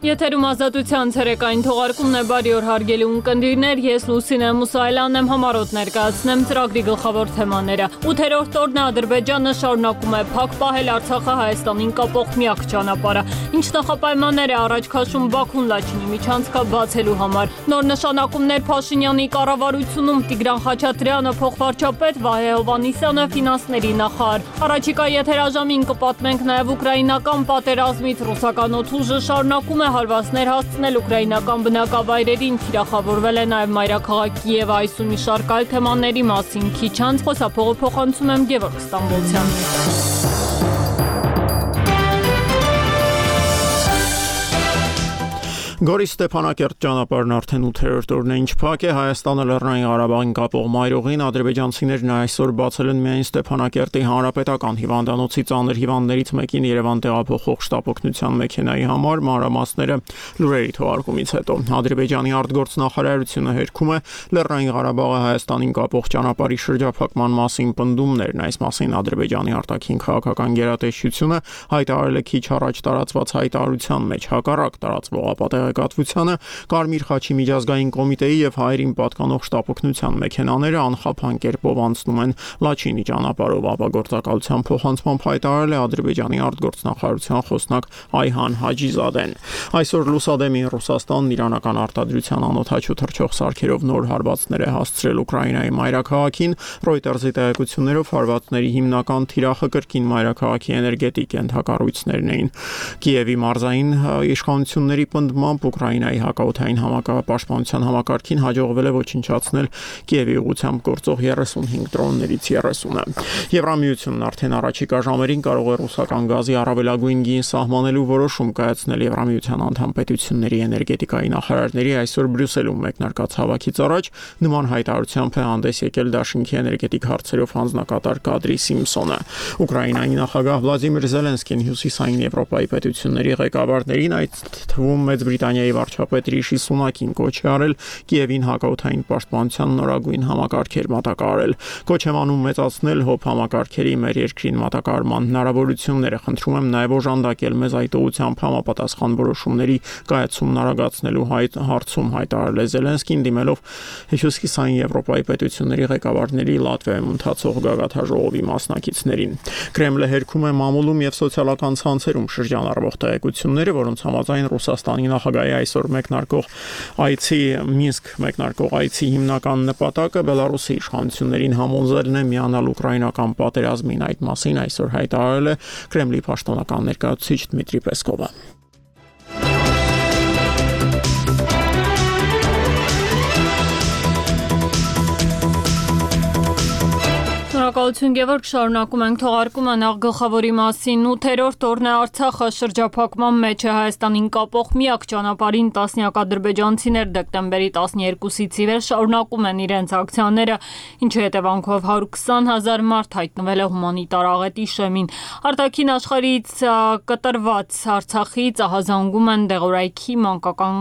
Եթերում ազատության ցերեկային թողարկումն է, բարի օր հարգելի ունկնդիրներ, ես Լուսինե Մուսայելյանն եմ, համառոտ ներկայացնեմ ծրագրի գլխավոր թեմաները։ 8-րդ օրն է Ադրբեջանը շարունակում է փակ պահել Արցախը Հայաստանին կապող միակ ճանապարհը։ Ինչ նախապայմաններ է առաջ քաշում Բաքուն Լաչինի միջանցքը բացելու համար։ Նոր նշանակումներ Փաշինյանի կառավարությունում, Տիգրան Խաչատրյանը փոխվարչապետ, Վահե Հովհաննիսյանը ֆինանսների նախարար։ Առաջիկա եթերաժամին կպատմենք նաև ուկրաինական պատերազմից, ռուսական օդուժը շարունակում է հարվածներ հասցնել ուկրաինական բնակավայրերին, թիրախավորվել է նաև մայրաքաղաք Կիևը, այս ու մի շարք այլ թեմաների մասին քիչ անց խոսափողը փոխանցում եմ Գևորգ Ստամբոլցյանին։ Գորի Ստեփանակերտ ճանապարհն արդեն 8-րդ օրն է ինչ փակ է, Հայաստանը Լեռնային Ղարաբաղին կապող մայրուղին ադրբեջանցիներն այսօր բացել են միայն Ստեփանակերտի հանրապետական հիվանդանոցի ծանր հիվանդներից մեկին Երևան տեղափոխող շտապօգնության մեքենայի համար, մանրամասները լուրերի թողարկումից հետո։ Ադրբեջանի արտգործնախարարությունը հերքում է Լեռնային Ղարաբաղը Հայաստանին կապող ճանապարհի շրջափակման մասին պնդումներն, այս մասին Ադրբեջանի արտաքին քաղաքական գերատեսչությունը հայտարարել է քիչ առաջ տարածված հայտարարության մեջ, հակառակ տարածվող ապատեղեկատվությանը Կարմիր խաչի միջազգային կոմիտեի եւ հայերին պատկանող շտապօգնության մեքենաները անխափան կերպով անցնում են Լաչինի ճանապարհով, ապագործակալության փոխանցմամբ հայտարարել է Ադրբեջանի արտգործնախարարության խոսնակ Այհան Հաջիզադեն։ Այսօր Լուսադեմին Ռուսաստանն իրանական արտադրության անօթաչու թռչող սարքերով նոր հարվածներ է հասցրել Ուկրաինայի մայրաքաղաքին, Reuters-ի տեղեկություններով հարվածների հիմնական թիրախը կրկին մայրաքաղաքի էներգետիկ ենթակառույցներն էին։ Կիևի մարզային իշխանությունների պնդմամբ Ուկրաինայի հակաօդային համակարգապաշտպանության համակարգին հաջողվել է ոչնչացնել Կիևի ուղղությամբ գործող 35 դրոններից 30-ը։ Եվրամիությունն արդեն առաջիկա ժամերին կարող է ռուսական գազի առավելագույն գին սահմանելու որոշում կայացնել Եվրամիության անդամ պետությունների էներգետիկայի նախարարների այսօր Բրյուսելում մեկնարկած հավաքից առաջ նման հայտարարությամբ է հանդես եկել Դաշինքի էներգետիկ հարցերով հանձնակատար Կադրի Սիմփսոնը։ Ուկրաինայի նախագահ Վլադիմիր Զելենսկին հյուսիսային Եվրոպայի պետությունների ղեկավարներին, այդ թվում Մեծ Բրիտանիայի վարչապետ Ռիշի Սունակին կոչ է արել Կիևին հակաօդային պաշտպանության նորագույն համակարգեր մատակարարել։ Կոչ եմ անում մեծացնել ՀՕՊ համակարգերի մեր երկրին մատակարարման հնարավորությունները, խնդրում եմ նաև օժանդակել մեզ այդ ուղղությամբ համապատասխան որոշումների կայացումն արագացնելու հարցում հայտարարել է Զելենսկին, դիմելով հյուսիսային Եվրոպայի պետությունների ղեկավարների Լատվիայում ընթացող գագաթաժողովի մասնակիցներին։ Կրեմլը հերքում է մամուլում եւ սոցիալական ցանցերում շրջանառվող տեղեկությունները, որոնց համաձայն Ռուսաստանի նախագահի այսօր մեկնարկող այցի Մինսկ մեկնարկող այցի հիմնական նպատակը Բելարուսի իշխանություններին համոզելն է միանալ ուկրաինական պատերազմին, այդ մասին այսօր հայտարարել է Կրեմլի պաշտոնական ներկայացուցիչ Դմիտրի Պեսկովը։ Շնորհակալություն Գևորգ, շարունակում ենք թողարկումը նախ գլխավորի մասին։ 8-րդ օրն է Արցախը շրջափակման մեջ է Հայաստանին կապող միակ ճանապարհին տասնյակ ադրբեջանցիներ դեկտեմբերի 12-ից ի վեր շարունակում են իրենց ակցիաները, ինչի հետևանքով 120,000 մարդ հայտնվել է հումանիտար աղետի շեմին։ Արտաքին աշխարհից կտրված Արցախից ահազանգում են դեղորայքի, մանկական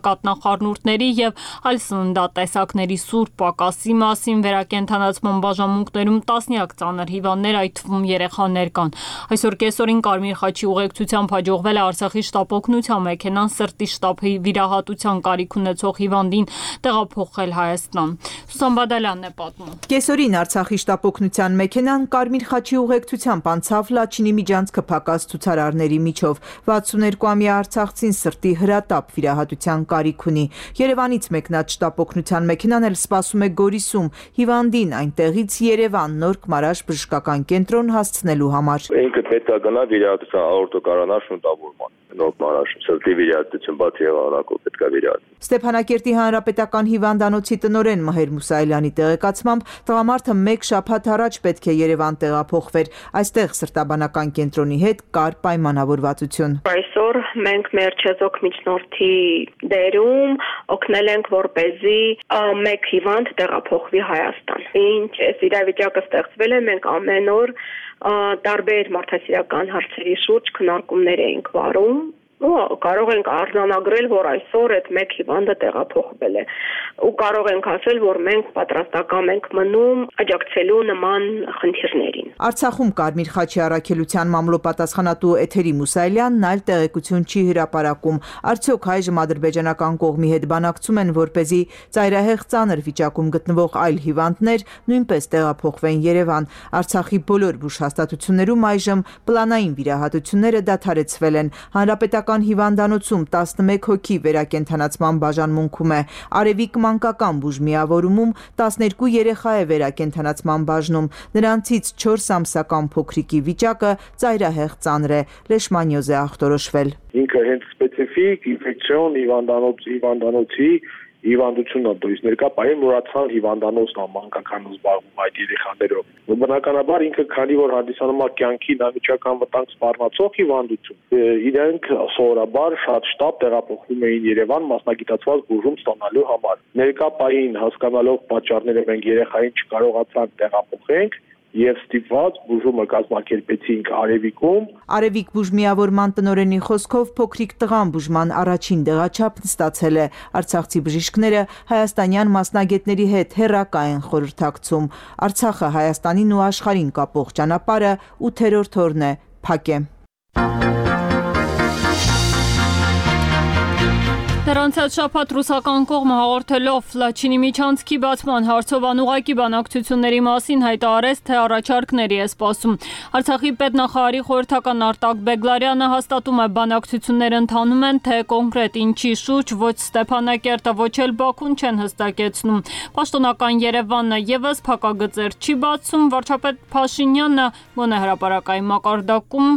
կատնախառնուրդների եւ այլ սննդատեսակների սուր պակասի մասին վերակենդանացման բաժանմունքներում տասնյակ ծանր հիվանդներ, այդ թվում երեխաներ կան։ Այսօր կեսօրին Կարմիր խաչի ուղեկցությամբ հաջողվել է Արցախի շտապօգնության մեքենան սրտի շտապի վիրահատության կարիք ունեցող հիվանդին տեղափոխել Հայաստան։ Սուսան Բադալյանն է պատմում։ Կեսօրին Արցախի շտապօգնության մեքենան Կարմիր խաչի ուղեկցությամբ անցավ Լաչինի միջանցքը փակած ցուցարարների միջով։ 62-ամյա արցախցին սրտի հրատապ վիրահատության կարիք ունի։ Երևանից մեկնած շտապօգնության մեքենան էլ սպասում է Գորիսում հիվանդին այնտեղից Երևան Նորք Մարաշ բժշկական կենտրոն հասցնելու համար։ Ինքը պետք է գնա վիրահատության աորտոկարանար շունտավորման։ Նորք Մարաշ սրտի վիրահատություն բացի եղանակով պետք է վիրահատել։ Ստեփանակերտի հանրապետական հիվանդանոցի տնօրեն Մհեր Մուսայելյանի տեղեկացմամբ տղամարդը մեկ շաբաթ առաջ պետք է Երևան տեղափոխվեր։ Այստեղ սրտաբանական կենտրոնի հետ կար պայմանավորվածություն։ Այսօր մենք մեր չեզոք միջնորդի դերում օգնել ենք, որպեսզի մեկ հիվանդ տեղափոխվի Հայաստան։ Ինչ այս իրավիճակը ստեղծվել է, մենք ամեն օր տարբեր մարդասիրական հարցերի շուրջ քննարկումներ էինք վարում Կարող ենք արձանագրել, որ այսօր այդ մեկ հիվանդը տեղափոխվել է ու կարող ենք ասել, որ մենք պատրաստական ենք մնում աջակցելու նման խնդիրներին։ Արցախում Կարմիր խաչի առաքելության մամլոպատասխանատու Էթերի Մուսայելյանն այլ տեղեկություն չի հրապարակում։ Արդյոք այժմ ադրբեջանական կողմի հետ բանակցում են, որպեսզի ծայրահեղ ծանր վիճակում գտնվող այլ հիվանդներ նույնպես տեղափոխվեն Երևան։ Արցախի բոլոր բուժհաստատություններում այժմ պլանային վիրահատությունները դադարեցվել են։ Հանրապետական հիվանդանոցում 11 հոգի վերակենդանացման բաժանմունքում է։ Արևիկ մանկական բուժմիավորումում 12 երեխա է վերակենդանացման բաժնում։ Նրանցից 4 ամսական փոքրիկի վիճակը ծայրահեղ ծանր է։ Լեշմանյոզ է ախտորոշվել։ Ինքը հենց սպეციფიկ ինֆեկցիոն հիվանդանոցի հիվանդությունն է, то есть ներկա պահին մուրացան հիվանդանոցն է մանկական զբաղվում այդ երեխաներով։ Բնականաբար ինքը քանի որ հանդիսանում է կյանքի անմիջական վտանգ սպառնացող հիվանդություն, իրենք սովորաբար շատ շտապ տեղափոխվում էին Երևան մասնագիտացված բուժում ստանալու համար։ Ներկա պահին հասկանալով պատճառները մենք երեխային չկարողացանք տեղափոխենք եւ ստիպված բուժումը կազմակերպեցինք Արևիկում։ Արևիկ բուժմիավորման տնօրենի խոսքով փոքրիկ տղան բուժման առաջին դեղաչափն ստացել է։ Արցախցի բժիշկները հայաստանյան մասնագետների հետ հեռակա են խորհրդակցում։ Արցախը Հայաստանին ու աշխարհին կապող ճանապարհը 8-րդ օրն է փակ է։ Նրանցած շաբաթ ռուսական կողմը հաղորդելով Լաչինի միջանցքի բացման հարցով անուղղակի բանակցությունների մասին հայտարարեց, թե առաջարկների է սպասում։ Արցախի պետնախարարի խորհրդական Արտակ Բեգլարյանը հաստատում է, բանակցությունները ընթանում են, թե կոնկրետ ինչի շուրջ ոչ Ստեփանակերտը, ոչ էլ Բաքուն չեն հստակեցնում։ Պաշտոնական Երևանը եւս փակագծեր չի բացում։ Վարչապետ Փաշինյանը գոնե հրապարակային մակարդակում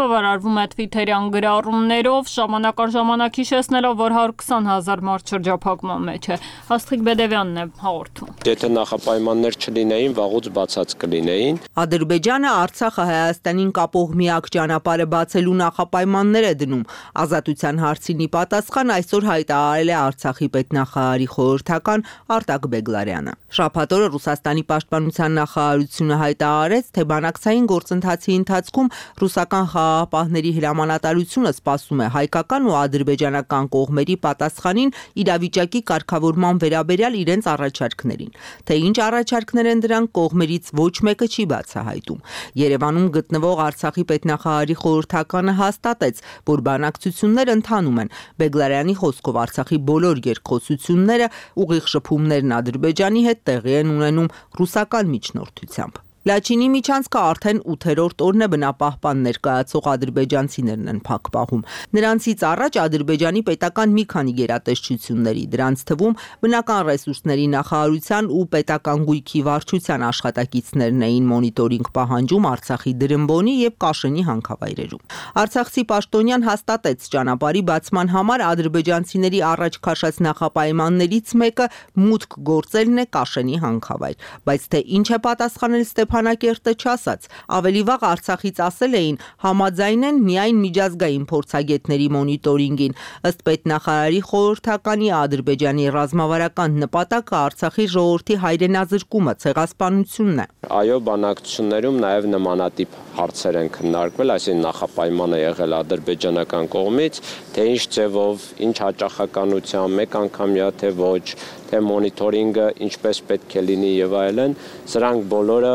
բավարարվում է թվիթերյան գրառումներով, ժամանակ առ ժամանակ հիշեցնելով, որ 20,000 մարդ շրջափակման մեջ է։ Աստղիկ Բեդևյանն է հաղորդում։ Եթե նախապայմաններ չլինեին, վաղուց բացած կլինեին։ Ադրբեջանը Արցախը Հայաստանին կապող միակ ճանապարհը բացելու նախապայմաններ է դնում։ Ազատության հարցին ի պատասխան այսօր հայտարարել է Արցախի պետնախարարի խորհրդական Արտակ Բեգլարյանը։ Շաբաթ օրը Ռուսաստանի պաշտպանության նախարարությունը հայտարարեց, թե բանակցային գործընթացի ընթացքում ռուսական խաղաղապահների հրամանատարությունը սպասում է հայկական ու ադրբեջանական կողմերի պատասխանին իրավիճակի կարգավորման վերաբերյալ իրենց առաջարկներին։ Թե ինչ առաջարկներ են դրանք, կողմերից ոչ մեկը չի բացահայտում։ Երևանում գտնվող Արցախի պետնախարարի խորհրդականը հաստատեց, որ բանակցություններ ընթանում են։ Բեգլարյանի խոսքով Արցախի բոլոր երկխոսությունները ուղիղ շփումներն Ադրբեջանի հետ տեղի են ունենում ռուսական միջնորդությամբ։ Լաչինի միջանցքը արդեն 8-րդ օրն է բնապահպան ներկայացող ադրբեջանցիներն են փակ պահում։ Նրանցից առաջ Ադրբեջանի պետական մի քանի գերատեսչությունների, դրանց թվում բնական ռեսուրսների նախարարության ու պետական գույքի վարչության աշխատակիցներն էին մոնիտորինգ պահանջում Արցախի Դրմբոնի եւ Կաշենի հանքավայրերում։ Արցախցի պաշտոնյան հաստատեց ճանապարհի բացման համար ադրբեջանցիների առաջ քաշած նախապայմաններից մեկը մուտք գործելն է Կաշենի հանքավայր, բայց թե ինչ է պատասխանել Ստեփանակերտը չասաց։ Ավելի վաղ Արցախից ասել էին, համաձայն են միայն միջազգային փորձագետների մոնիտորինգին։ Ըստ պետնախարարի խորհրդականի Ադրբեջանի ռազմավարական նպատակը Արցախի ժողովրդի հայրենազրկումը, ցեղասպանությունն է։ Այո, բանակցություններում նաև նմանատիպ հարցեր են քննարկվել, այսինքն նախապայմանը եղել ադրբեջանական կողմից, թե ինչ ձևով, ինչ հաճախականությամբ, մեկ անգամյա թե ոչ, թե մոնիտորինգը ինչպես պետք է լինի եւ այլն, սրանք բոլորը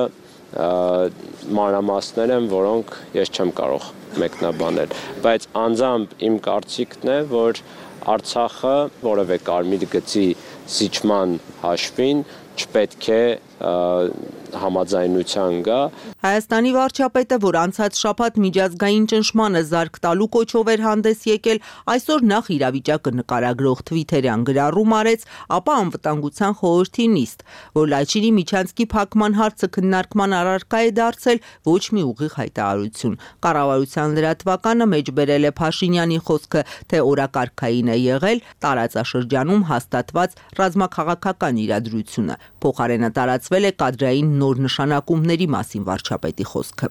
մանրամասներ են, որոնք ես չեմ կարող մեկնաբանել, բայց անձամբ իմ կարծիքն է, որ Արցախը որևէ կարմիր գծի զիջման հաշվին չպետք է համաձայնության գա։ Հայաստանի վարչապետը, որ անցած շաբաթ միջազգային ճնշմանը զարկ տալու կոչով էր հանդես եկել, այսօր նախ իրավիճակը նկարագրող թվիթերյան գրառում արեց, ապա անվտանգության խորհրդի նիստ, որ Լաչինի միջանցքի փակման հարցը քննարկման առարկա է դարձել, ոչ մի ուղիղ հայտարարություն։ Կառավարության լրատվականը մեջբերել է Փաշինյանի խոսքը, թե օրակարգային է եղել տարածաշրջանում հաստատված ռազմաքաղաքական իրադրությունը։ Փոխարենը տարածվել է կադրային նոր նշանակումների մասին վարչապետի խոսքը։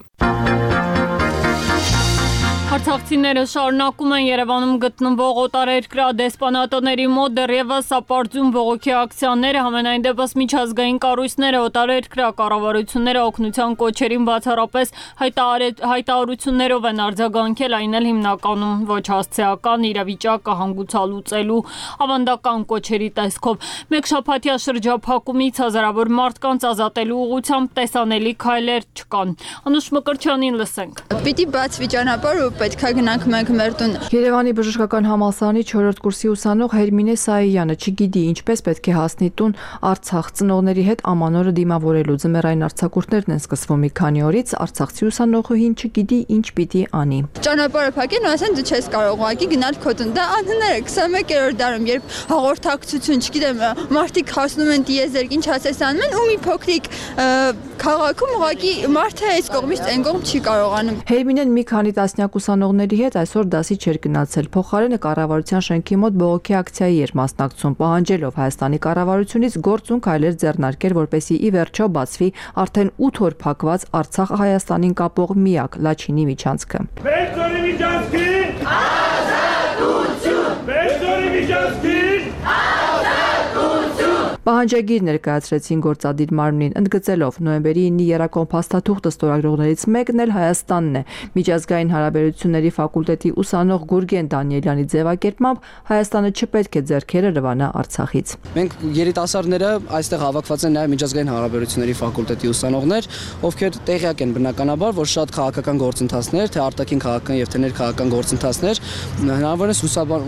Արցախցիները շարունակում են Երևանում գտնվող օտարերկրյա դեսպանատների մոտ դեռևս ապարդյուն բողոքի ակցիաները, համենայն դեպս միջազգային կառույցները, օտարերկրյա կառավարությունները օգնության կոչերին բացառապես հայտարարություններով են արձագանքել, այն էլ հիմնականում ոչ հասցեական իրավիճակը հանգուցալուծելու ավանդական կոչերի տեսքով։ Մեկ շաբաթյա շրջափակումից հազարավոր մարդկանց ազատելու ուղղությամբ տեսանելի քայլեր չկան։ Անուշ Մկրտչյանին լսենք։ Պիտի բացվի ճանապարհ ու պետքա գնանք մենք մեր տուն։ Երևանի բժշկական համալսարանի 4-րդ կուրսի ուսանող Հերմինե Սայյանը չգիտի ինչպես պետք է հասնի տուն Արցախ ծնողների հետ ամանորը դիմավորելու։ Ձմեռային արձակուրդներն են սկսվում մի քանի օրից, արցախցի ուսանողուհին չգիտի ինչ պիտի անի։ Ճանապարհը փակեն ու ասեն դու չես կարող ուղղակի գնալ քո տուն։ Դա անհնար է 21-րդ դարում, երբ հաղորդակցություն, չգիտեմ, մարդիկ հասնում են տիեզերք, ինչ ասես անում են ու մի փոքրիկ քաղաքում ուղղակի մարդը այս կողմից այն կողմ չի կարողանում։ Հերմինեն մի քանի տասնյակ ուսանողների հետ այսօր դասի չէր գնացել, փոխարենը կառավարության շենքի մոտ բողոքի ակցիայի էր մասնակցում, պահանջելով Հայաստանի կառավարությունից գործուն քայլեր ձեռնարկել, որպեսզի ի վերջո բացվի արդեն 8 օր փակված Արցախ-Հայաստանին կապող միակ Լաչինի միջանցքը։ Բերձորի միջանցքին ազատություն! Բերձորի միջանցքին ազատություն! Պահանջագիր ներկայացրեցին գործադիր մարմնին, ընդգծելով նոյեմբերի 9-ի երակոմ փաստաթուղթը ստորագրողներից մեկն էլ Հայաստանն է։ Միջազգային հարաբերությունների ֆակուլտետի ուսանող Գուրգեն Դանիելյանի ձևակերպմամբ Հայաստանը չպետք է ձեռքերը լվանա Արցախից։ Մենք երիտասարդները այստեղ հավաքված են նաև միջազգային հարաբերությունների ֆակուլտետի ուսանողներ, ովքեր տեղյակ են բնականաբար, որ շատ քաղաքական գործընթացներ, թե արտաքին քաղաքական եւ թե ներքաղաքական գործընթացներ, հնարավորինս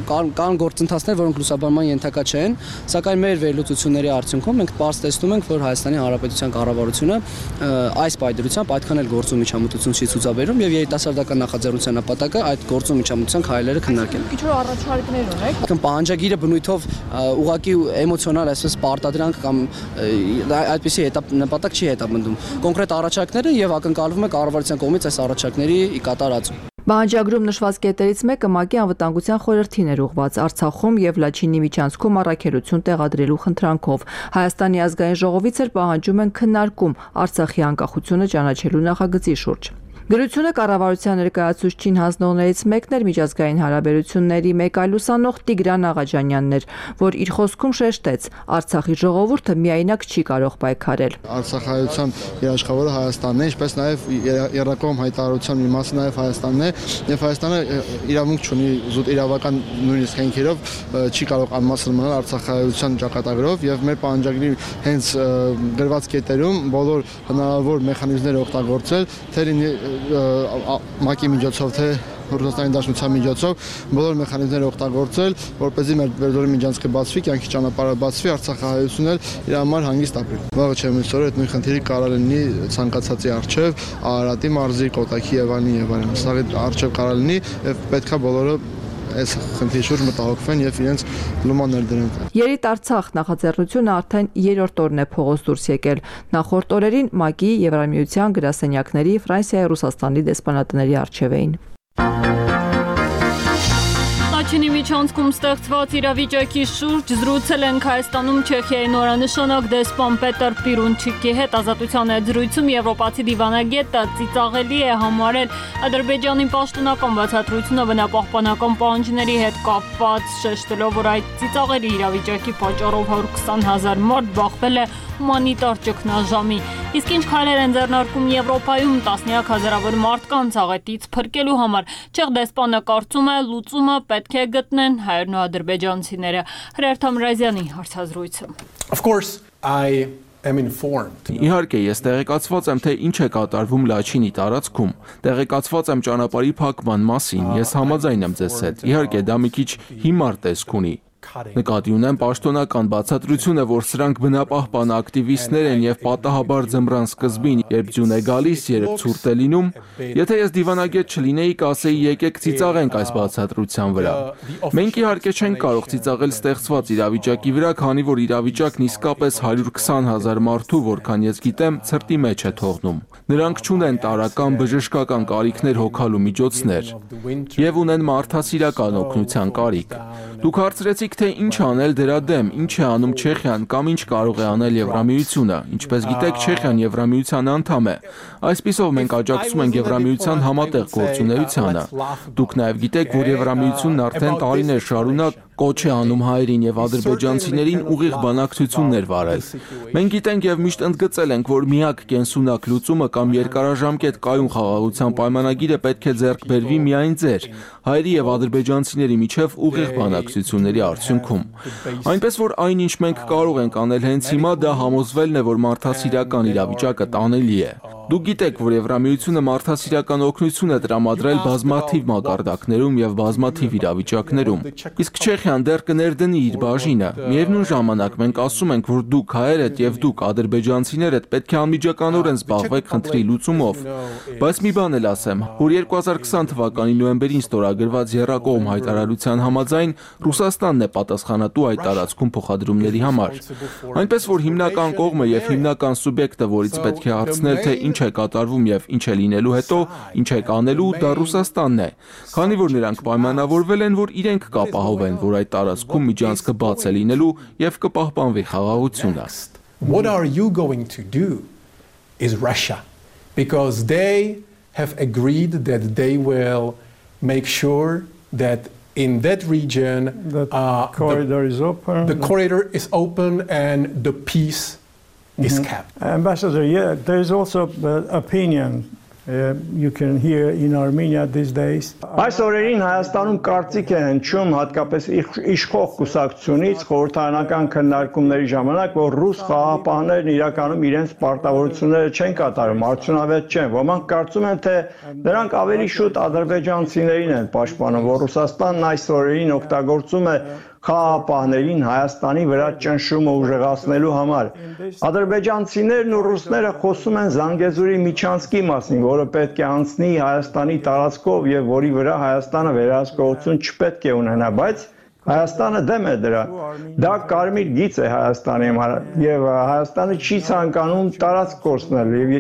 կան գործընթացներ, որոնք լուսաբանման ենթակա չեն, սակայն մեր վերլուծությունների արդյունքում մենք պարզ տեսնում ենք, որ Հայաստանի Հանրապետության կառավարությունը այս պայդրությամբ այդքան էլ գործում միջամտություն չի ցուցաբերում եւ երիտասարդական նախաձեռնության նպատակը այդ գործում միջամտության քայլերը քննարկել։ Ինչ որ առաջարկներ ունեք։ Պահանջագիրը բնույթով ուղղակի էմոցիոնալ այսպես պարտադրանք կամ այդպիսի նպատակ չի հետապնդում։ Կոնկրետ առաջարկները եւ ակնկալվում է կառավարության կողմից այս առաջարկների կատարածում։ Բանջագրում նշված կետերից մեկը ՄԱԿ-ի անվտանգության խորհրդին էր ուղղված Արցախում եւ Լաչինի միջանցքում առաքելություն տեղադրելու խնդրանքով։ Հայաստանի ազգային ժողովից էլ պահանջում են քննարկում Արցախի անկախությունը ճանաչելու նախագծի շուրջ։ Գրությունը կառավարության ներկայացուցչին հանձնողներից մեկն էր միջազգային հարաբերությունների մեկ այլ ուսանող Տիգրան Աղաջանյանն էր, որ իր խոսքում շեշտեց. Արցախի ժողովուրդը միայնակ չի կարող պայքարել։ Արցախայության երաշխավորը Հայաստանն է, ինչպես նաև երրակողմ հայտարարության մի մասը նաև Հայաստանն է, եւ Հայաստանը իրավունք չունի զուտ իրավական նույնիսկ հենքերով չի կարող անմասն մնալ արցախայության ճակատագրով եւ մեր պահանջագրի հենց գրված կետերում բոլոր հնարավոր մեխանիզմները օգտագործել, թե ՄԱԿ-ի միջոցով, թե Ռուսաստանի Դաշնության միջոցով բոլոր մեխանիզմները օգտագործել, որպեսզի մեր Բերձորի միջանցքը բացվի, կյանքի ճանապարհը բացվի, Արցախահայությունն էլ իր համար հանգիստ ապրի։ Վաղը չեմ իսօր այդ նույն խնդիրը կարող լինի ցանկացածի արչև, Արարատի մարզի, Կոտայքի եւ այլն։ Սա արչև կարող լինի եւ պետքա բոլորը այս խնդրի շուրջ մտահոգվեն եւ իրենց լուման ներդրեն։ Երիտ Արցախ նախաձեռնությունը արդեն 3-րդ օրն է փողոց դուրս եկել։ Նախորդ օրերին ՄԱԿ-ի, Եվրամիության գրասենյակների, Ֆրանսիայի, Ռուսաստանի դեսպանատների առջև էին։ Լաչինի միջանցքում ստեղծված իրավիճակի շուրջ զրուցել ենք Հայաստանում Չեխիայի նորանշանակ դեսպան Պետր Պիրունչիկի հետ։ Ազատության այդ զրույցում եվրոպացի դիվանագետը ծիծաղելի է համարել Ադրբեջանի պաշտոնական բացատրությունը բնապահպանական պահանջների հետ կապված, շեշտելով, որ այդ ծիծաղելի իրավիճակի պատճառով 120,000 մարդ բախվել է հումանիտար ճգնաժամի։ Իսկ ինչ քայլեր են ձեռնարկում Եվրոպայում տասնյակ հազարավոր մարդկանց աղետից փրկելու համար։ Չեխ դեսպանը կարծում է լուծումը պետք է գտնեն հայերն ու ադրբեջանցիները։ Հրեր Թամրազյանի հարցազրույցը։ Իհարկե, ես տեղեկացված եմ, թե ինչ է կատարվում Լաչինի տարածքում։ Տեղեկացված եմ ճանապարհի փակման մասին։ Ես համաձայն եմ ձեզ հետ։ Իհարկե, դա մի քիչ հիմար տեսք ունի։ Նկատի ունեմ պաշտոնական բացատրությունը, որ սրանք բնապահպան ակտիվիստներ են եւ պատահաբար ձմռան սկզբին, երբ ձյուն է գալիս, երբ ցուրտ է լինում, եթե ես դիվանագետ չլինեի, կասեի եկեք ծիծաղենք այս բացատրության վրա։ Մենք իհարկե չենք կարող ծիծաղել ստեղծված իրավիճակի վրա, քանի որ իրավիճակն իսկապես 120,000 մարդու, որքան ես գիտեմ, ցրտի մեջ է թողնում։ Նրանք չունեն տարրական բժշկական կարիքներ հոգալու միջոցներ եւ ունեն մարդասիրական օգնության կարիք։ Դուք հարցրեցիք, թե ինչ անել դրա դեմ, ինչ է անում Չեխիան կամ ինչ կարող է անել Եվրամիությունը։ Ինչպես գիտեք, Չեխիան Եվրամիության անդամ է։ Այսպիսով մենք աջակցում ենք Եվրամիության համատեղ գործունեությանը։ Դուք նաև գիտեք, որ Եվրամիությունն արդեն տարիներ շարունակ կոչ է անում հայերին եւ ադրբեջանցիներին ուղիղ բանակցություններ վարել։ Մենք գիտենք եւ միշտ ընդգծել ենք, որ միակ կենսունակ լուծումը կամ երկարաժամկետ կայուն խաղաղության պայմանագիրը պետք է ձեռք բերվի միայն ձեր, հայերի եւ ադրբեջանցիների միջև ուղիղ բանակցությունների արդյունքում։ Այնպես որ այնինչ մենք կարող ենք անել հենց հիմա, դա համոզվելն է, որ մարդասիրական իրավիճակը տանելի է։ Դուք գիտեք, որ Եվրամիությունը մարդասիրական օգնություն է տրամադրել բազմաթիվ մակարդակներում եւ բազմաթիվ իրավիճակներում։ Իսկ Չեխիան դեռ կներդնի իր բաժինը։ Միևնույն ժամանակ մենք ասում ենք, որ դուք հայերդ եւ դուք ադրբեջանցիներդ պետք է անմիջականորեն զբաղվեք խնդրի լուծումով։ Բայց մի բան էլ ասեմ, որ 2020 թվականի նոյեմբերին ստորագրված եռակողմ հայտարարության համաձայն Ռուսաստանն է պատասխանատու այդ տարածքում փոխադրումների համար։ Այնպես որ հիմնական կողմը եւ հիմնական սուբյեկտը, որից պետք է հարցնել, թե ինչ է կատարվում եւ ինչ է լինելու հետո, ինչ է կանելու, դա Ռուսաստանն է, քանի որ նրանք պայմանավորվել են, որ իրենք կապահովեն, որ այդ տարածքում միջանցքը բաց է լինելու եւ կպահպանվի խաղաղությունը։ What are you going to do is Russia, because they have agreed that they will make sure that in that region the corridor is open and the peace is kept. Ambassador, yeah, there is also opinion you can hear in Armenia these days. Այս օրերին Հայաստանում կարծիք է հնչում հատկապես իշխող կուսակցությունից խորհրդարանական քննարկումների ժամանակ, որ ռուս խաղաղապահներն իրականում իրենց պարտավորությունները չեն կատարում, արդյունավետ չեն։ Ոմանք կարծում են, թե նրանք ավելի շուտ ադրբեջանցիներին են պաշտպանում, որ Ռուսաստանն այս օրերին օգտագործում է խաղաղապահներին Հայաստանի վրա ճնշումը ուժեղացնելու համար։ Ադրբեջանցիներն ու ռուսները խոսում են Զանգեզուրի միջանցքի մասին, որը պետք է անցնի Հայաստանի տարածքով եւ որի վրա Հայաստանը վերահսկողություն չպետք է ունենա, բայց Հայաստանը դեմ է դրա։ Դա կարմիր գիծ է Հայաստանի համար եւ Հայաստանը չի ցանկանում տարածք կորցնել եւ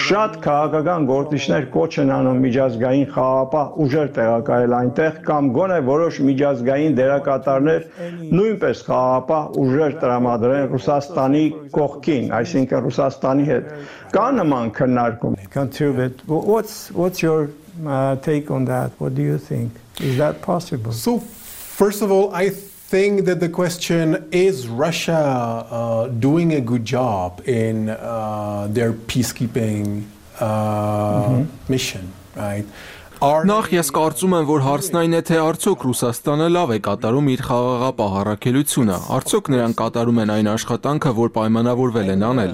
շատ քաղաքական գործիչներ կոչ են անում միջազգային խաղաղապահ ուժեր տեղակայել այնտեղ կամ գոնե որոշ միջազգային դերակատարներ նույնպես խաղաղապահ ուժեր տրամադրեն Ռուսաստանի կողքին, այսինքն Ռուսաստանի հետ։ Կա նման քննարկում։ What's your take on that? What do you think? Is that possible? First of all, I think that the question is Russia doing a good job in their peacekeeping mission, right? Նախ ես կարծում եմ, որ հարցն այն է, թե արդյոք Ռուսաստանը լավ է կատարում իր խաղաղապահ առաքելությունը, արդյոք նրանք կատարում են այն աշխատանքը, որ պայմանավորվել են անել։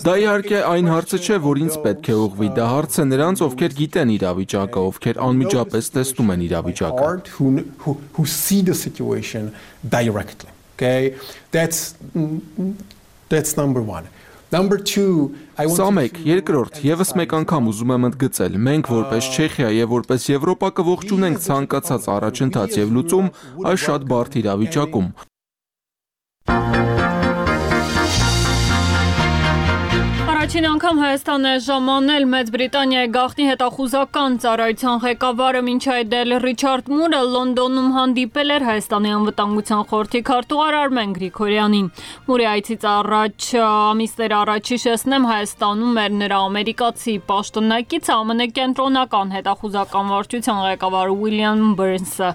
Դա իհարկե այն հարցը չէ, որ ինձ պետք է ուղղվի, դա հարց է նրանց, ովքեր գիտեն իրավիճակը, ովքեր անմիջապես տեսնում են իրավիճակը։ Who see the situation directly, okay? That's number one. Number two, Սա մեկ, երկրորդ, եւս մեկ անգամ ուզում եմ ընդգծել, մենք որպես Չեխիա եւ որպես Եվրոպա կողջունենք ցանկացած առաջընթաց եւ լուծում այս շատ բարդ իրավիճակում։ Առաջին անգամ Հայաստան է ժամանել Մեծ Բրիտանիայի գաղտնի հետախուզական ծառայության ղեկավարը մինչ այդ էլ Ռիչարդ Մուրը Լոնդոնում հանդիպել էր Հայաստանի անվտանգության խորհրդի քարտուղար Արմեն Գրիգորյանին։ Մուրի այցից առաջ ամիսներ առաջ հիշեցնեմ Հայաստանում էր նրա ամերիկացի պաշտոնակից ԱՄՆ կենտրոնական հետախուզական վարչության ղեկավար Ուիլյամ Բըրնսը։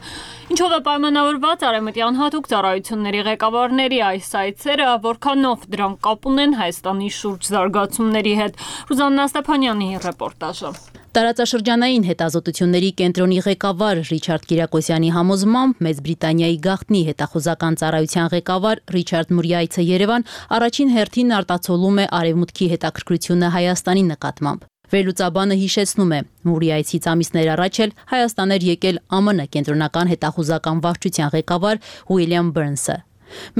Ինչով է պայմանավորված արևմտյան հատուկ ծառայությունների ղեկավարների այս այցերը, որքանով դրանք կապ ունեն Հայաստանի շուրջ զարգացումների հետ։ Ռուզաննա Ստեփանյանի ռեպորտաժը։ Տարածաշրջանային հետազոտությունների կենտրոնի ղեկավար Ռիչարդ Կիրակոսյանի համոզմամբ Մեծ Բրիտանիայի գաղտնի հետախուզական ծառայության ղեկավար Ռիչարդ Մուրի այցը Երևան առաջին հերթին արտացոլում է արևմուտքի հետաքրքրությունը Հայաստանի նկատմամբ։ Վերլուծաբանը հիշեցնում է, Մուրի այցից ամիսներ առաջ էլ Հայաստան էր եկել ԱՄՆ կենտրոնական հետախուզական վարչության ղեկավար Ուիլյամ Բըրնսը։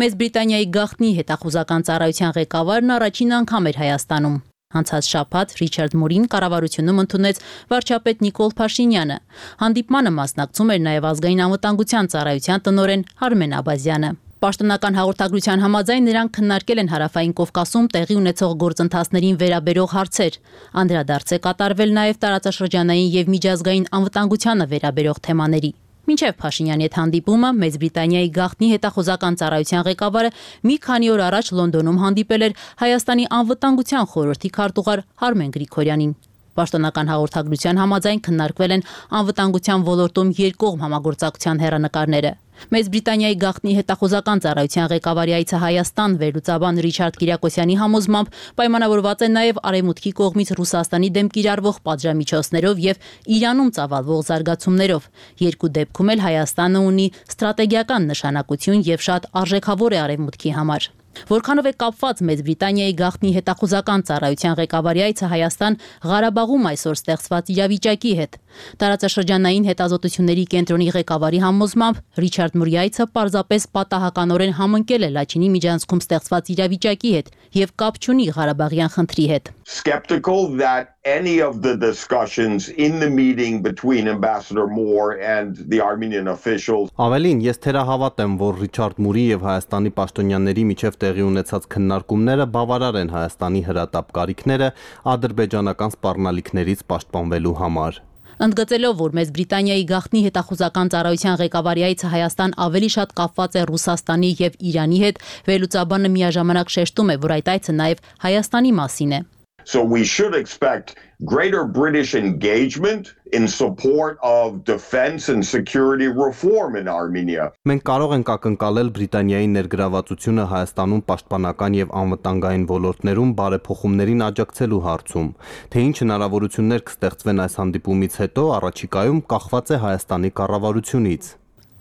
Մեծ Բրիտանիայի գաղտնի հետախուզական ծառայության ղեկավարն առաջին անգամ էր Հայաստանում։ Անցած շաբաթ Ռիչարդ Մուրին կառավարությունում ընդունեց վարչապետ Նիկոլ Փաշինյանը։ Հանդիպմանը մասնակցում էր նաև ազգային անվտանգության ծառայության տնօրեն Արմեն Աբազյանը։ Պաշտոնական հաղորդագրության համաձայն նրանք քննարկել են Հարավային Կովկասում տեղի ունեցող գործընթացներին վերաբերող հարցեր։ Անդրադարձ է կատարվել նաև տարածաշրջանային եւ միջազգային անվտանգությանը վերաբերող թեմաների։ Մինչև Փաշինյանի հետ հանդիպումը Մեծ Բրիտանիայի գաղտնի հետախուզական ծառայության ղեկավարը մի քանի օր առաջ Լոնդոնում հանդիպել էր Հայաստանի անվտանգության խորհրդի քարտուղար Արմեն Գրիգորյանին։ Պաշտոնական հաղորդագրության համաձայն քննարկվել են անվտանգության ոլորտում երկկողմ համագործակցության հեռանկարները։ Մեծ Բրիտանիայի գաղտնի հետախուզական ծառայության ղեկավարի այցը Հայաստան վերլուծաբան Ռիչարդ Կիրակոսյանի համոզմամբ պայմանավորված է նաև Արևմուտքի կողմից Ռուսաստանի դեմ կիրառվող պատժամիջոցներով եւ Իրանում ծավալվող զարգացումներով։ Երկու դեպքում էլ Հայաստանը ունի ստրատեգիական նշանակություն եւ շատ արժեքավոր է Արևմուտքի համար։ Որքանով է կապված Մեծ Բրիտանիայի գաղտնի հետախուզական ծառայության ղեկավարի այցը Հայաստան Ղարաբաղում այսօր ստեղծված իրավիճակի հետ։ Տարածաշրջանային հետազոտությունների կենտրոնի ղեկավարի համոզմամբ Ռիչարդ Մուրի այցը պարզապես պատահականորեն համընկել է Լաչինի միջանցքում ստեղծված իրավիճակի հետ եւ կապ չունի Ղարաբաղյան խնդրի հետ։ Skeptical that any of the discussions in the meeting between Ambassador Moore and the Armenian officials. Ավելին, ես թերահավատ եմ, որ Ռիչարդ Մուրի եւ Հայաստանի պաշտոնյաների միջև տեղի ունեցած քննարկումները բավարար են Հայաստանի հրատապ կարիքները ադրբեջանական սպառնալիքներից պաշտպանվելու համար։ Ընդգծելով, որ Մեծ Բրիտանիայի գաղտնի հետախուզական ծառայության ղեկավարի այցը Հայաստան ավելի շատ կապված է Ռուսաստանի եւ Իրանի հետ, վերլուծաբանը միաժամանակ շեշտում է, որ այդ այցը նաև Հայաստանի մասին է։ So we should expect greater British engagement in support of defense and security reform in Armenia. Մենք կարող ենք ակնկալել Բրիտանիայի ներգրավվածությունը Հայաստանում պաշտպանական եւ անվտանգային ոլորտներում բարեփոխումներին աջակցելու հարցում, թե ինչ հնարավորություններ կստեղծվեն այս հանդիպումից հետո, առաջիկայում կախված է Հայաստանի կառավարությունից։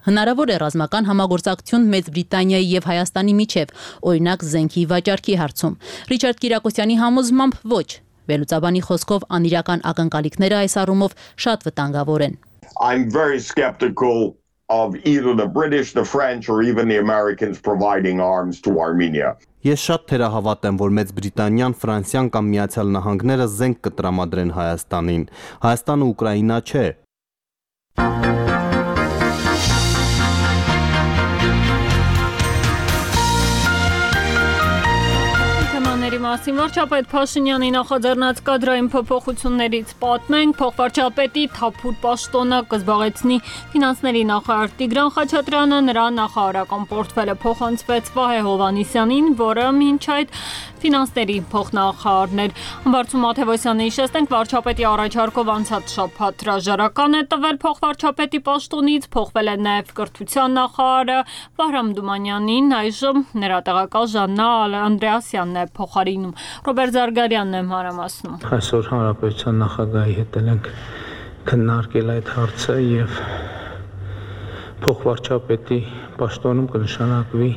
Հնարավոր է ռազմական համագործակցություն Մեծ Բրիտանիայի եւ Հայաստանի միջև, օրինակ զենքի վաճառքի հարցում։ Ռիչարդ Կիրակոսյանի համոզմամբ ոչ։ Վերլուծաբանի խոսքով անիրական ակնկալիքները այս առումով շատ վտանգավոր են։ I'm very skeptical of either the British, the French or even the Americans providing arms to Armenia. Ես շատ թերահավատ եմ, որ Մեծ Բրիտանիան, Ֆրանսիան կամ Միացյալ Նահանգները զենք կտրամադրեն Հայաստանին։ Հայաստանը Ուկրաինա չէ։ Մասին վարչապետ Փաշինյանի նախաձեռնած կադրային փոփոխություններից պատմենք, փոխվարչապետի թափուր պաշտոնը կզբաղեցնի ֆինանսների նախարար Տիգրան Խաչատրյանը, նրա նախարարական պորտֆելը փոխանցվեց Վահե Հովհաննիսյանին, որը մինչ այդ ֆինանսների փոխնախարարն էր։ Համբարձում Մաթևոսյանը հիշեցնենք, վարչապետի առաջարկով անցած շաբաթ հրաժարական է տվել փոխվարչապետի պաշտոնից, փոխվել է նաև կրթության նախարարը Վահրամ Դումանյանին, այժմ նրա տեղակալ Ժաննա Անդրեասյանն է փոխարինում։ Ռոբերտ Զարգարյանն է մանրամասնում։ Այսօր հանրապետության նախագահի հետ ենք քննարկել այդ հարցը եւ փոխվարչապետի պաշտոնում կնշանակվի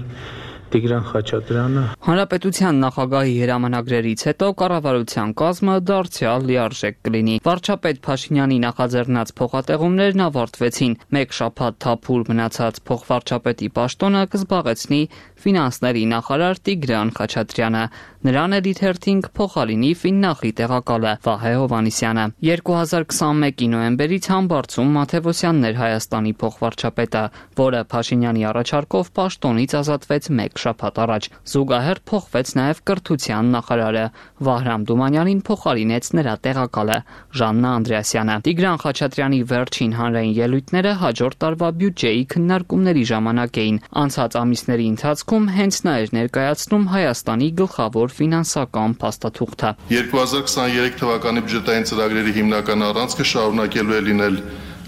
Տիգրան Խաչատրյանը։ Հանրապետության նախագահի հրամանագրերից հետո կառավարության կազմը դարձյալ լիարժեք կլինի։ Վարչապետ Փաշինյանի նախաձեռնած փոխատեղումներն ավարտվեցին։ Մեկ շաբաթ թափուր մնացած փոխվարչապետի պաշտոնը կզբաղեցնի ֆինանսների նախարար Տիգրան Խաչատրյանը։ Նրան էլ իթերթին փոխարինի Ֆիննախի տեղակալը Վահե Հովհաննիսյանը։ 2021-ի նոյեմբերից Համբարձում Մաթևոսյանն էր Հայաստանի փոխվարչապետը, որը Փաշինյանի առաջարկով պաշտոնից ազատվեց մեկ շաբաթ առաջ։ Զուգահեռ փոխվեց նաև կրթության նախարարը։ Վահրամ Դումանյանին փոխարինեց նրա տեղակալը Ժաննա Անդրեասյանը։ Տիգրան Խաչատրյանի վերջին հանրային ելույթները հաջորդ տարվա բյուջեի քննարկումների ժամանակ էին։ Անցած ամիսների ընթացքում հենց նա էր ներկայացնում Հայաստանի գլխավոր ֆինանսական փաստաթուղթը։ 2023 թվականի բյուջետային ծրագրերի հիմնական առանցքը շարունակելու է լինել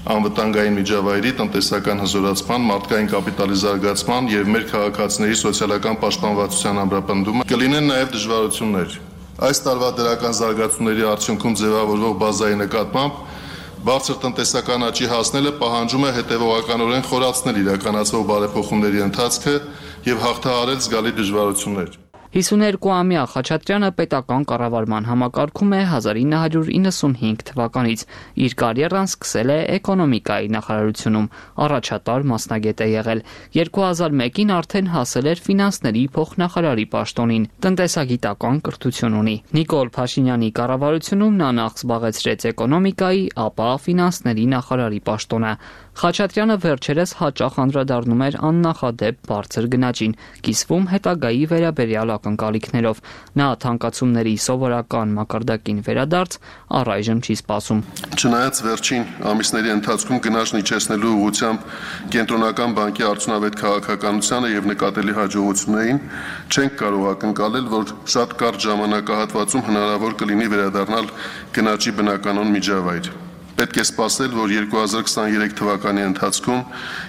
անվտանգային միջավայրի տնտեսական հզորացման, մարդկային կապիտալի զարգացման եւ մեր քաղաքացիների սոցիալական պաշտպանվածության ամրապնդումը։ Կլինեն նաեւ դժվարություններ։ Այս տարվա դրական զարգացումների արդյունքում ձևավորվող բազայի նկատմամբ բարձր տնտեսական աճի հասնելը պահանջում է հետևողականորեն խորացնել իրականացվող բարեփոխումների ընթացքը եւ հաղթահարել զգալի դժվարություններ։ 52-ամյա Խաչատրյանը պետական կառավարման համակարգում է 1995 թվականից։ Իր կարիերան սկսել է էկոնոմիկայի նախարարությունում, առաջատար մասնագետ է եղել։ 2001-ին արդեն հասել էր ֆինանսների փոխնախարարի պաշտոնին, տնտեսագիտական կրթություն ունի։ Նիկոլ Փաշինյանի կառավարությունում նա նախ զբաղեցրեց էկոնոմիկայի, ապա ֆինանսների նախարարի պաշտոնը։ Խաչատրյանը վերջերս հաճախ անդրադառնում էր աննախադեպ բարձր գնաճին, կիսվում հետագայի վերաբերյալ ակնկալիքներով։ Նա թանկացումների սովորական մակարդակին վերադարձ առայժմ չի սպասում։ Չնայած վերջին ամիսների ընթացքում գնաճ իջեցնելու ուղղությամբ կենտրոնական բանկի արդյունավետ քաղաքականությանը եւ նկատելի հաջողություններին, չենք կարող ակնկալել, որ շատ կարճ ժամանակահատվածում հնարավոր կլինի վերադառնալ գնաճի բնականon միջավայր։ Պետք է սպասել, որ 2023 թվականի ընթացքում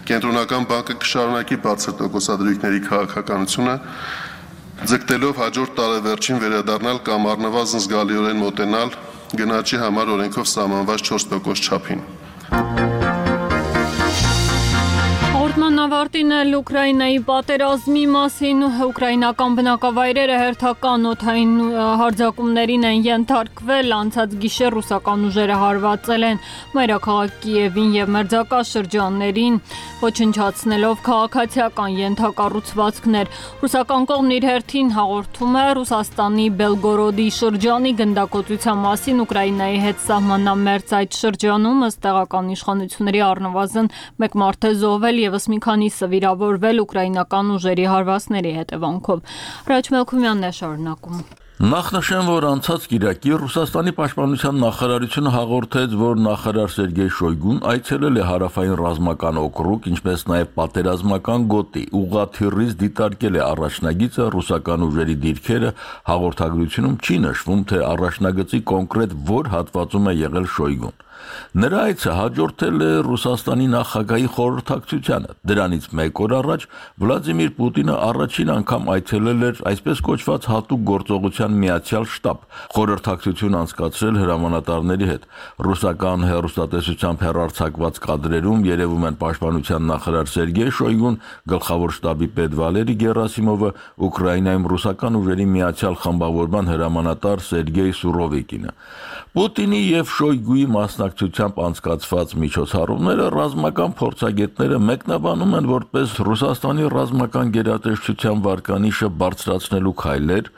կենտրոնական բանկը կշարունակի բարձր տոկոսադրույքների քաղաքականությունը, ձգտելով հաջորդ տարեվերջին վերադառնալ կամ առնվազն զգալիորեն մոտենալ գնաճի համար օրենքով սահմանված 4% չափին։ Հաղորդման ավարտին էլ Ուկրաինայի պատերազմի մասին ուկրաինական բնակավայրերը հերթական օդային հարձակումներին են ենթարկվել, անցած գիշեր ռուսական ուժերը հարվածել են մայրաքաղաք Կիևին եւ մերձակա շրջաններին, ոչնչացնելով քաղաքացիական ենթակառուցվածքներ։ Ռուսական կողմն իր հերթին հաղորդում է Ռուսաստանի Բելգորոդի շրջանի գնդակոծության մասին Ուկրաինայի հետ սահմանամերձ այդ շրջանում ըստ տեղական իշխանությունների առնվազն 1 մարդ է զոհվել եւս մի քանիսը վիրավորվել ուկրաինական ուժերի հարվածների հետևանքով։ Ռաջ Մելքումյանն է շարունակում։ Նախնշեմ, որ անցած կիրակի Ռուսաստանի պաշտպանության նախարարությունը հաղորդեց, որ նախարար Սերգեյ Շոյգուն այցելել է հարավային ռազմական օկրուգ, ինչպես նաև պատերազմական գոտի, ուղղաթիռից դիտարկել է առաջնագիծը, ռուսական ուժերի դիրքերը, հաղորդագրությունում չի նշվում, թե առաջնագծի կոնկրետ որ հատվածում է եղել Շոյգուն։ Նրա այցը հաջորդել է Ռուսաստանի նախագահի խորհրդակցությանը։ Դրանից 1 օր առաջ Վլադիմիր Պուտինը առաջին անգամ այցելել էր այսպես կոչված հատուկ գործողության միացյալ շտաբ, խորհրդակցություն անցկացրել հրամանատարների հետ։ Ռուսական հեռուստատեսությամբ հեռարձակված կադրերում երևում են պաշտպանության նախարար Սերգեյ Շոյգուն, գլխավոր շտաբի պետ Վալերի Գերասիմովը, Ուկրաինայում ռուսական ուժերի միացյալ խմբավորման հրամանատար Սերգեյ Սուրովիկինը։ Պուտինի եւ Շոյգուի մասնակցությամբ անցկացված միջոցառումները ռազմական փորձագետները մեկնաբանում են որպես Ռուսաստանի ռազմական գերատեսչության վարկանիշը բարձրացնելու քայլեր,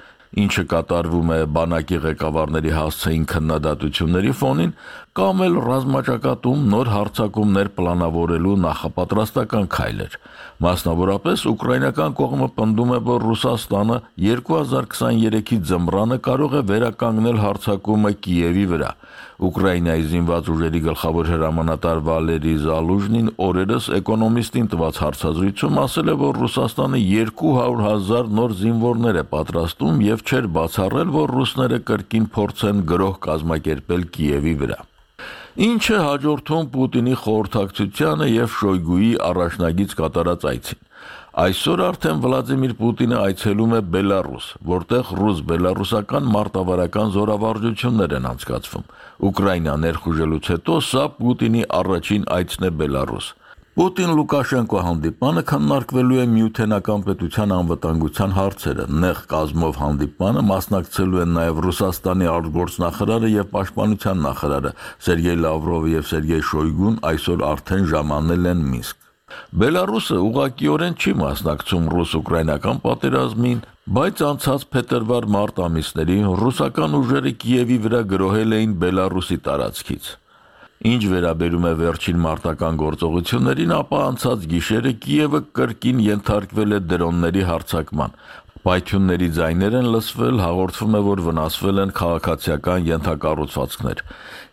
ինչը կատարվում է բանակի ղեկավարների հասցեին քննադատությունների ֆոնին, կամ էլ ռազմաճակատում նոր հարձակումներ պլանավորելու նախապատրաստական քայլեր։ Մասնավորապես ուկրաինական կողմը պնդում է, որ Ռուսաստանը 2023-ի ձմռանը կարող է վերականգնել հարձակումը Կիևի վրա։ Ուկրաինայի զինված ուժերի գլխավոր հրամանատար Վալերի Զալուժնին օրերս Էկոնոմիստին տված հարցազրույցում ասել է, որ Ռուսաստանը 200,000 նոր զինվորներ է պատրաստում եւ չէր բացառել, որ ռուսները կրկին փորձեն գրոհ կազմակերպել Կիևի վրա։ Ինչը հաջորդում Պուտինի խորհրդակցությանը եւ Շոյգուի առաջնագիծ կատարած այցին։ Այսօր արդեն Վլադիմիր Պուտինը այցելում է Բելարուս, որտեղ ռուս-բելարուսական մարտավարական զորավարժություններ են անցկացվում։ Ուկրաինա ներխուժելուց հետո սա Պուտինի առաջին այցն է Բելարուս։ Պուտին-Լուկաշենկո հանդիպանը քննարկվելու է Միութենական պետության անվտանգության հարցերը։ Նեղ կազմով հանդիպանը մասնակցելու են նաև Ռուսաստանի արտգործնախարարը եւ պաշտպանության նախարարը Սերգեյ Լավրովը եւ Սերգեյ Շոյգուն այսօր արդեն ժամանել են Մինսկ։ Բելարուսը ուղղակիորեն չի մասնակցում ռուս-ուկրաինական պատերազմին, բայց անցած փետրվար-մարտ ամիսներին ռուսական ուժերը Կիևի վրա գրոհել էին Բելարուսի տարածքից։ Ինչ վերաբերում է վերջին մարտական գործողություններին, ապա անցած գիշերը Կիևը կրկին ենթարկվել է դրոնների հարձակման։ Պայթյունների ձայներ են լսվել, հաղորդվում է, որ վնասվել են քաղաքացիական ենթակառուցվածքներ։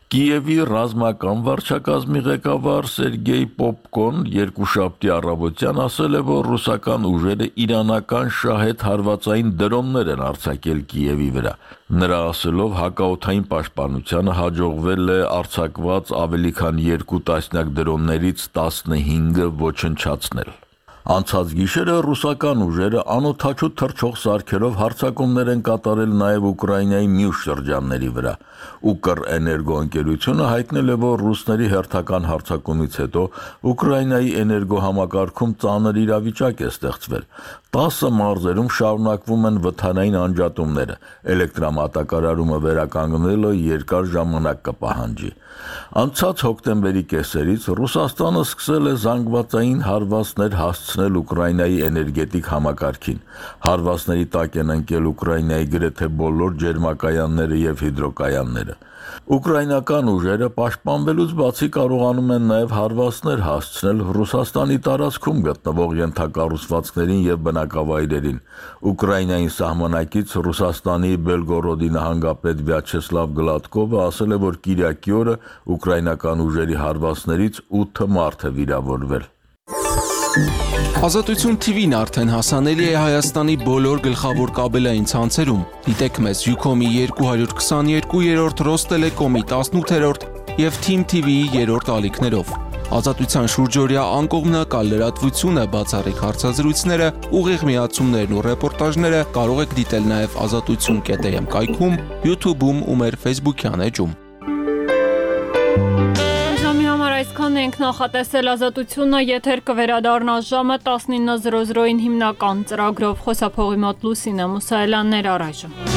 Կիևի ռազմական վարչակազմի ղեկավար Սերգեյ Պոպկոն երկուշաբթի առավոտյան ասել է, որ ռուսական ուժերը իրանական շահեդ հարվածային դրոններ են արձակել Կիևի վրա։ Նրա ասելով հակաօդային պաշտպանությանը հաջողվել է արձակված ավելի քան 2 տասնյակ դրոններից 15-ը ոչնչացնել։ Անցած գիշերը ռուսական ուժերը անօդաչու թռչող սարքերով հարձակումներ են կատարել նաև Ուկրաինայի մյուս շրջանների վրա։ Ուկր էներգոընկերությունը հայտնել է, որ ռուսների հերթական հարձակումից հետո Ուկրաինայի էներգոհամակարգում ծանր իրավիճակ է ստեղծվել։ 10 մարզերում շարունակվում են վթարային անջատումները։ Էլեկտրամատակարարումը վերականգնելը երկար ժամանակ կպահանջի։ Անցած հոկտեմբերի կեսերից Ռուսաստանը սկսել է զանգվածային հարվածներ հասցնել հասցնել Ուկրաինայի էներգետիկ համակարգին։ Հարվածների տակ են ընկել Ուկրաինայի գրեթե բոլոր ջերմակայանները եւ հիդրոկայանները։ Ուկրաինական ուժերը պաշտպանվելուց բացի կարողանում են նաև հարվածներ հասցնել Ռուսաստանի տարածքում գտնվող ենթակառուցվածքներին եւ բնակավայրերին։ Ուկրաինային սահմանակից Ռուսաստանի Բելգորոդի նահանգապետ Վյաչեսլավ Գլադկովը ասել է, որ Կիրակի օրը ուկրաինական ուժերի հարվածներից 8 մարդ է վիրավորվել։ Ազատություն TV-ն արդեն հասանելի է Հայաստանի բոլոր գլխավոր կաբելային ցանցերում։ Դիտեք մեզ Ucom-ի 222-րդ, Ռոստելեկոմի 18-րդ եւ Team TV-ի 3-րդ ալիքներով։ Ազատության շուրջօրյա անկողմնակալ լրատվությունը, բացառիկ հարցազրույցները, ուղիղ միացումներն ու ռեպորտաժները կարող եք դիտել նաեւ azatutsun.am կայքում, YouTube-ում ու մեր Facebook-յան էջում։ Այսքան ենք նախատեսել ազատությունը, եթեր կվերադառնա ժամը 19:00-ին հիմնական ծրագրով։ Խոսափողի մոտ Լուսինե Մուսայելյաններ առայժմ։